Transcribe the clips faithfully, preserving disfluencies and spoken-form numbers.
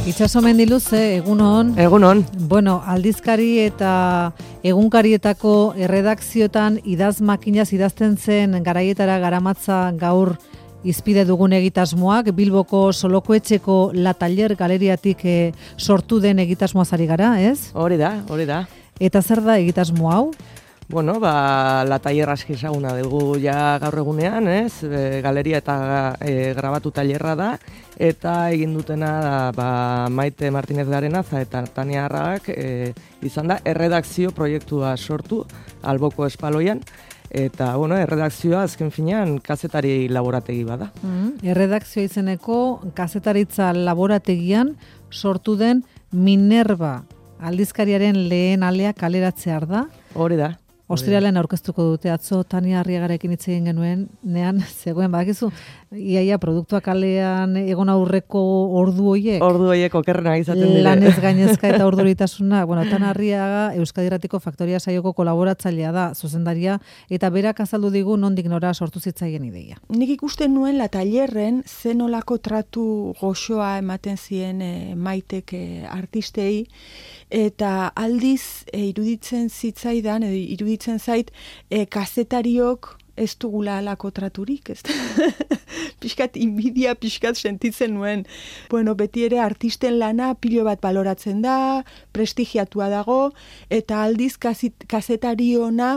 Itxaso Mendiluze, egunon. Egunon. Bueno, aldizkari eta egunkarietako erredakzioetan idaz makinaz idazten zen garaietara garamatza gaur izpide dugun egitasmoak, Bilboko Solokoetxeko La Taller galeriatik e, sortu den egitasmoaz ari gara, ez? Hori da, hori da. Eta zer da egitasmo hau? Bueno, ba, La Taller aski ezaguna dugu ja gaur egunean, ez? E, galeria eta e, grabatu tailerra da, eta egin dutena da, ba, Maite Martinez Garenaza eta Tania Arragak e, izan da erredakzio proiektua sortu Alboko Espaloian, eta, bueno, erredakzioa azken finean kazetari laborategi bada. Mm, erredakzioa izeneko kazetaritza laborategian sortu den Minerva aldizkariaren lehen alea kaleratzear da. Hori da. Ostiralean aurkeztuko dute, atzo Tania Arriagarekin hitz egin genuen, nean zegoen, badakizu, iaia produktuak kalean egon aurreko ordu hoiek. Ordu hoiek okerrena izaten dire. Lanez gainezka eta orduritasuna. Bueno, Tania Arriaga Euskadi Irratiko Faktoria saioko kolaboratzailea da, zuzendaria, eta berak azaldu digu nondik nora sortu zitzaien ideia. Nik ikusten nuen La Tallerren zenolako tratu goxoa ematen zien e, Maitek e, artistei, eta aldiz e, iruditzen zitzaidan, edo iruditzen zait, e, kazetariok ez dugula alako traturik, ez pixkat inbidia, pixkat sentitzen nuen. Bueno, beti ere artisten lana pilo bat baloratzen da, prestigiatua dago, eta aldiz kazetari ona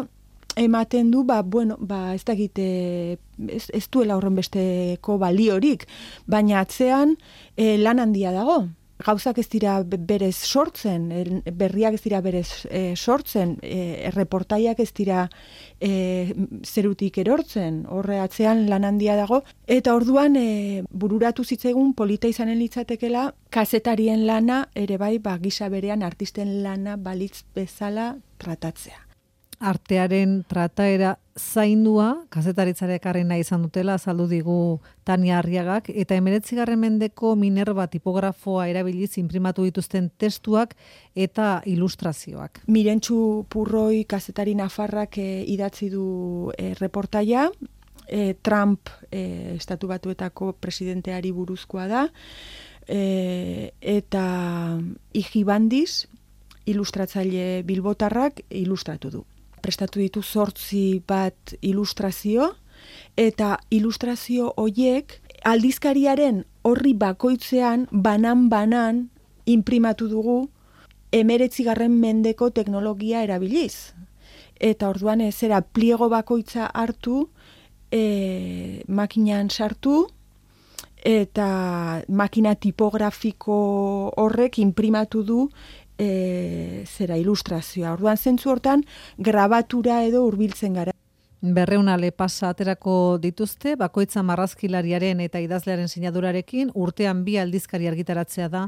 ematen du, ba, bueno, ba, ez dakite, ez, ez duela horren besteko baliorik, baina atzean e, lan handia dago. Gauzak ez dira berez sortzen, berriak ez dira berez e, sortzen, e, reportaiak ez dira e, zerutik erortzen, horre atzean lan handia dago. Eta orduan e, bururatu zitzaigun polita izanen litzatekela, kazetarien lana ere bai, ba, gisa berean artisten lana balitz bezala tratatzea. Artearen trataera zaindua, kazetaritzare ekarrena izan dutela, azaldu digu Tania Arriagak, eta hemeretzigarren mendeko Minerva tipografoa erabiliz inprimatu dituzten testuak eta ilustrazioak. Mirentxu Purroi kazetari nafarrak e, idatzi du e, reportaia, e, Trump e, Estatu Batuetako presidenteari buruzkoa da, e, eta Ijibandiz, ilustratzaile bilbotarrak, ilustratu du. Prestatu ditu zortzi bat ilustrazio, eta ilustrazio hoiek aldizkariaren horri bakoitzean, banan-banan, inprimatu dugu hemeretzigarren mendeko teknologia erabiliz. Eta orduan zera pliego bakoitza hartu, e, makinan sartu, eta makina tipografiko horrek inprimatu du E, zera ilustrazioa. Orduan zentzu hortan grabatura edo hurbiltzen gara. Berreun ale pasa aterako dituzte, bakoitza marrazkilariaren eta idazlearen sinadurarekin, urtean bi aldizkari argitaratzea da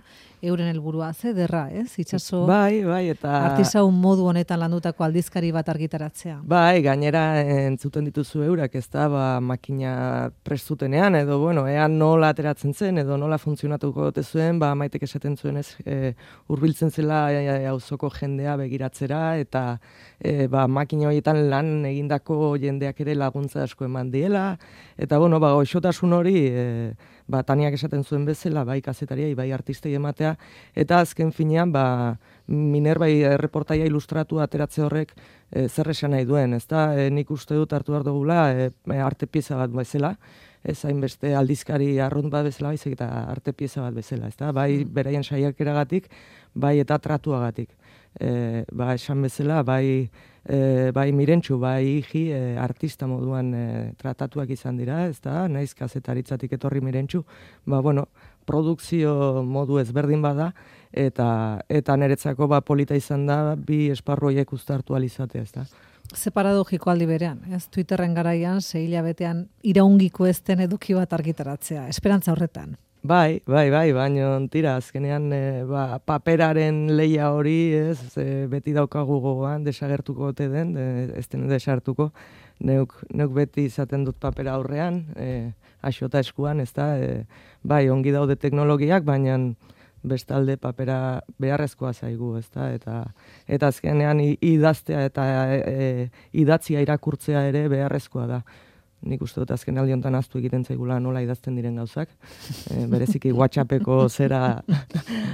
euren helburua. Ze derra, ez? Itxaso, bai, bai, eta artisaun modu honetan landutako aldizkari bat argitaratzea. Bai, gainera entzuten dituzu eurak, ez da, ba, makina prestutenean, edo, bueno, ean nola ateratzen zen, edo nola funtzionatuko gote zuen, ba, Maitek esaten zuen ez, e, urbiltzen zela auzoko jendea begiratzera, eta e, ba, makina horietan lan egindako jendeak ere laguntza asko eman diela, eta bueno, ba, goxotasun hori, e, ba, Taniak esaten zuen bezala, bai kazetariai, bai artistei ematea, eta azken finean, ba, Minerva erreportaia ilustratu ateratze horrek e, zer esan nahi duen, ezta? E, nik uste dut hartu behar dugula, e, arte pieza bat bezala, ez hainbeste aldizkari arrunt bat bezala, baizik eta arte pieza bat bezala, ezta? Bai beraien saiakeragatik, bai eta tratuagatik. E, ba, esan bezala, bai, e, bai Mirentxu, bai Iji, e, artista moduan e, tratatuak izan dira, ez da, naiz kazetaritzatik etorri Mirentxu, ba, bueno, produkzio modu ezberdin bada, eta eta niretzako ba, polita izan da, bi esparroiek uztartu alizatea, ez da. Ze paradogiko aldi berean, ez? Twitterren garaian, sei hilabetean iraungiko ez den eduki bat argitaratzea, esperantza horretan. Bai, bai, bai, baina tira, azkenean e, ba, paperaren leia hori, ez, e, beti daukagu gogoan, desagertuko ote den, de, ez den desartuko, neuk, neuk beti izaten dut papera aurrean, e, axota eskuan, ez da, e, bai, ongi daude teknologiak, baina bestalde papera beharrezkoa zaigu, ez da, eta, eta azkenean idaztea eta e, idatzia irakurtzea ere beharrezkoa da. nik uste dut azken aldi honetan aztu egiten zaigula nola idazten diren gauzak. E, bereziki WhatsAppeko zera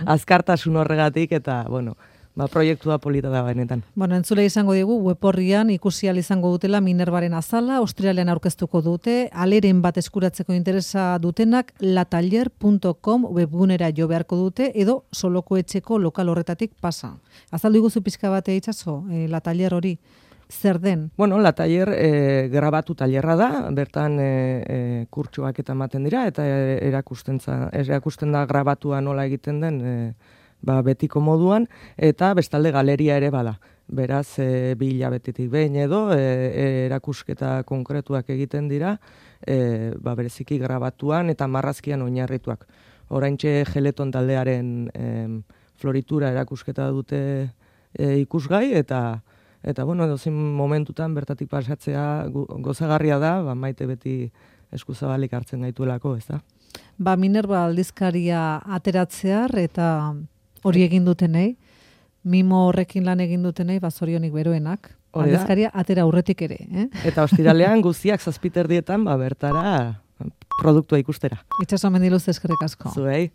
azkartasun horregatik, eta, bueno, ba, proiektua polita da benetan. Bueno, entzule izango digu, web horrian ikusi ahal izango dutela Minervaren azala, Australian aurkeztuko dute, aleren bat eskuratzeko interesa dutenak lataller punto com webgunera jo beharko dute, edo Soloko etxeko lokal horretatik pasa. Azaldu iguzu pixka bate itxaso, e, lataller hori, zer den? Bueno, lataller e, grabatu tailerra da, bertan e, e, kurtsoak eta ematen dira, eta erakusten, za, erakusten da grabatua nola egiten den, e, ba, betiko moduan, eta bestalde galeria ere bada. Beraz, e, bi hilabetetik behin edo, e, erakusketa konkretuak egiten dira, e, ba, bereziki grabatuan eta marrazkian oinarrituak. Oraintxe Geleton taldearen e, floritura erakusketa dute e, ikusgai, eta eta bueno, dozin momentutan bertatik pasatzea gozagarria da, ba, maite beti eskuzabalik hartzen gaituelako, ez da? Ba, Minerva aldizkaria ateratzear eta hori egin dutenei, mimo horrekin lan egin dutenei, bazorionik beroenak. Aldizkaria atera aurretik ere. Eh? Eta ostiralean guztiak zazpiterdietan, ba, bertara produktua ikustera. Itxaso Mendiluz eskerrik asko. Zuei.